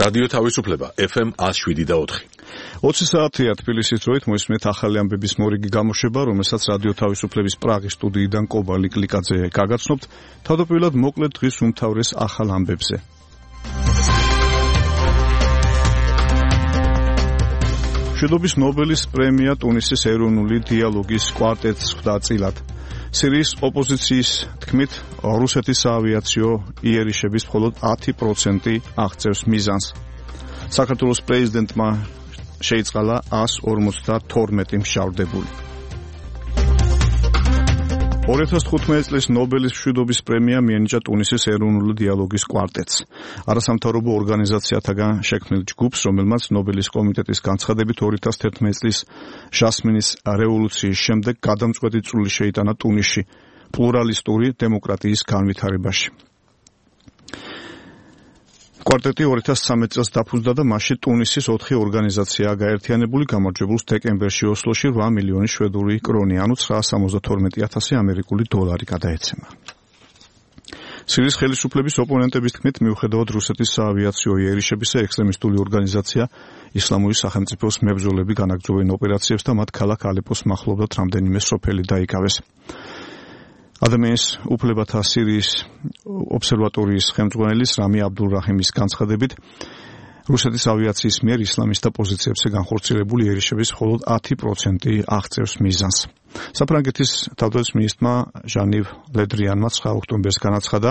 რადიო თავისუფლება FM 107.4. 20 საათია თბილისის დროით მოისმენთ ახალი ამბების მორიგი გამოშვება, რომელსაც რადიო თავისუფლების პრაღის სტუდიიდან კობალი კლიკაძე გაგაცნობთ. თავდაპირველად მოკლედ დღის უმთავრეს ახალ ამბებზე. მშვიდობის ნობელის პრემია ტუნისის ეროვნული დიალოგის კვარტეტს ხვდა წილად. სირიის ოპოზიციის თქმით, რუსეთის საავიაციო იერიშების მხოლოდ 10% აღწევს მიზანს. საქართველოს პრეზიდენტმა შეიწყალა 152 მშავდებული. 2015 წლის ნობელის მშვიდობის პრემია მიენიჭა ტუნისის ეროვნული დიალოგის კვარტეტს. არასამთავრობო ორგანიზაციათაგან შექმნილ ჯგუფს, რომელმაც ნობელის კომიტეტის განცხადებით 2011 წლის ჟასმინის რევოლუციის შემდეგ გადამწყვეტი წვლილი შეიტანა ტუნისში პლურალისტური დემოკრატიის განვითარებაში. კვარტეტი 2013 წელს დაფუძნდა და მასში ტუნისის 4 ორგანიზაციაა გაერთიანებული, გამარჯვებულს დეკემბერში ოსლოში 8 მილიონი შვედური კრონი, ანუ 972,000 ამერიკული დოლარი გადაეცემა. სირიის ხელისუფლების ოპონენტების თქმით, მიუხედავად რუსეთის საავიაციო იერიშებისა, ექსტრემისტული ორგანიზაცია ისლამური სახელმწიფოს მებრძოლები განაგრძობენ ოპერაციებს და მათ ქალაქ ალეპოს მახლობლად რამდენიმე სოფელი დაიკავეს. ადამიანის უფლებათა სირიის ობსერვატორიის ხელმძღვანელის რამი აბდულრაჰიმის განცხადებით, რუსეთის ავიაციის მიერ ისლამისტთა პოზიციებზე განხორციელებული იერიშების მხოლოდ 10% აღწევს მიზანს. საფრანგეთის თავდაცვის მინისტრმა ჟანივ ლედრიანმა 9 ოქტომბერს განაცხადა,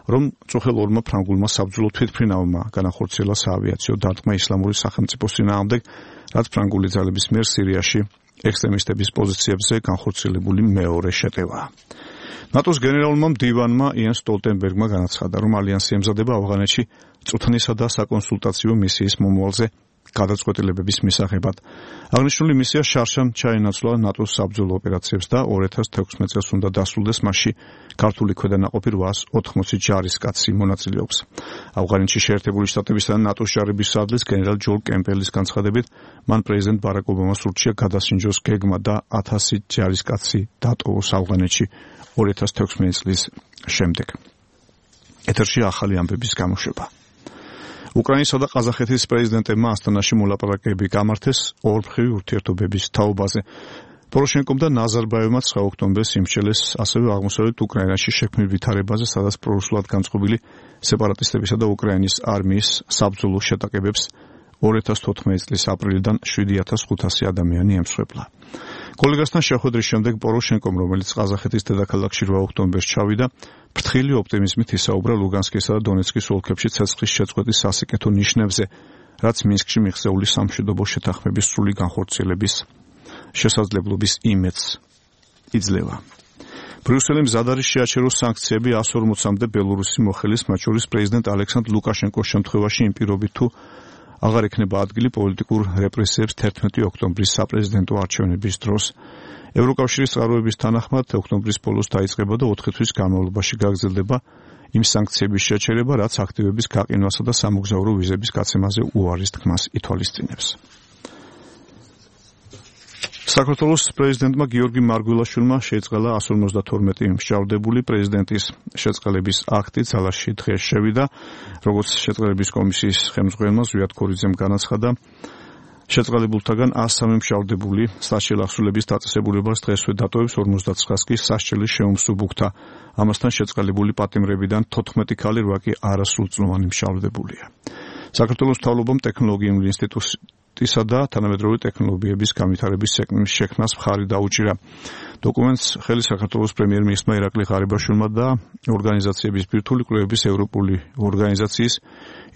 რომ წუხელ ორმა ფრანგულმა საბრძოლო თვითმფრინავმა განახორციელა საავიაციო დარტყმა ისლამური სახელმწიფოს წინააღმდეგ, რაც ფრანგული ძალების მიერ სირიაში ექსტრემისტების პოზიციებზე განხორციელებული მეორე შეტევაა. ნატოს გენერალურმა მდივანმა იენ სტოლტენბერგმა განაცხადა, რომ ალიანსი ემზადება ავღანეთში წვრთნისა და საკონსულტაციო მისიის მომავალზე გადაწყვეტილებების მისაღებად. აღნიშნული მისია შარშან ჩაენაცვლა ნატოს საბრძოლო ოპერაციებს და 2016 წელს უნდა დასრულდეს, მასში ქართული ქვედანაყოფი 880 ჯარისკაცი მონაწილეობს. ავღანეთში შეერთებული შტატებისა და ნატოს ჯარების სარდლის გენერალ ჯონ კემპელის განცხადებით, მან პრეზიდენტ ბარაკ ობამას ურჩია გადასინჯოს გეგმა და 1000 ჯარისკაცი დატოვოს ავღანეთში 2016 წლის შემდეგ. ეთერში ახალი ამბების გამოშვება. უკრაინისა და ყაზახეთის პრეზიდენტებმა ასტანაში მოლაპარაკებები გამართეს ორმხრივი ურთიერთობების თაობაზე. პოროშენკომ და ნაზარბაევმა 9 ოქტომბერს იმსჯელეს ასევე აღმოსავლეთ უკრაინაში შექმნილ ვითარებაზე, სადაც პრორუსულად განწყობილი სეპარატისტებისა და უკრაინის არმიის საბრძოლო შეტაკებებს 2014 წლის აპრილიდან 7500 ადამიანი ემსხვერპლა. კოლეგასთან შეხვედრის შემდეგ პოროშენკომ, რომელიც ყაზახეთის დედაქალაქში 8 ოქტომბერს ჩავიდა, ფრთხილი ოპტიმიზმით ისაუბრა ლუგანსკისა და დონეცკის ოლქებში ცეცხლის შეწყვეტის სასიკეთო ნიშნებზე, რაც მინსკში მიღწეული სამშვიდობო შეთანხმების სრული განხორციელების შესაძლებლობის იმედს იძლევა. ბრიუსელი მზად არის შეაჩეროს სანქციები 140-მდე ბელორუსის მოხელის, მათ შორის პრეზიდენტ ალექსანდრ ლუკაშენკოს შემთხვევაში იმ პირობით, თუ აღარ ექნება ადგილი პოლიტიკურ რეპრესიებს 11 ოქტომბრის საპრეზიდენტო არჩევნების დროს. ევროკავშირის წყაროების თანახმად, ოქტომბრის ბოლოს დაიწყება და 4 თვის განმავლობაში გაგრძელდება იმ სანქციების შეჩერება, რაც აქტივების გაყინვასა და სამოგზაურო ვიზების გაცემაზე უარის თქმას ითვალისწინებს. საქართველოს პრეზიდენტმა გიორგი მარგველაშვილმა შეწყალა 152 მშავდებული. პრეზიდენტის შეწყალების აქტი ძალაში დღეს შევიდა, როგორც შეწყალების კომისიის ხელმძღვანელმა ზვიად ქორიძემ განაცხადა. შეწყალებულთაგან 103 მშავდებული სასჯელ ახსულების დაწესებულებას დღესვე დატოვებს 59 კი სასჯელის შეუმსუბუქდა. ამასთან შეწყალებული პატიმრებიდან 14 ქალი, 8 კი არასრულწლოვანი მშავდებულია. საქართველოს მთავრობამ ტექნოლოგიურ ინსტიტუტისა და თანამედროვე ტექნოლოგიების განვითარების შექმნას მხარი დაუჭირა. დოკუმენტს ხელი საქართველოს პრემიერ-მინისტრმა ირაკლი ღარიბაშვილმა და ორგანიზაციების ბირთვული კვლევების ევროპული ორგანიზაციის,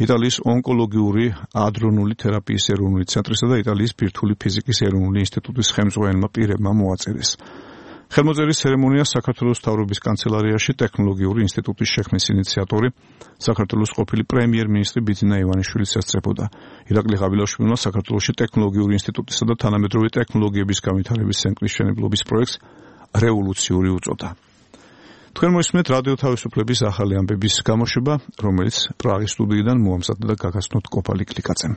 იტალიის ონკოლოგიური ადრონული თერაპიის ეროვნული ცენტრისა და იტალიის ბირთვული ფიზიკის ეროვნული ინსტიტუტის ხელმძღვანელმა პირებმა მოაწერეს. ხელმოწერის ცერემონიას საქართველოს მთავრობის კანცელარიაში ტექნოლოგიური ინსტიტუტის შექმნის ინიციატორი, საქართველოს ყოფილი პრემიერ-მინისტრი ბიძინა ივანიშვილიც ესწრებოდა. ირაკლი ღარიბაშვილმა საქართველოში ტექნოლოგიური ინსტიტუტისა და თანამედროვე ტექნოლოგიების განვითარების ცენტრის მშენებლობის პროექტს რევოლუციური უწოდა. თქვენ მოისმენთ რადიო თავისუფლების ახალი ამბების გამოშვება, რომელიც პრაღის სტუდიიდან მოამზადდა და გაგაცნოთ კობალი კლიკაძემ.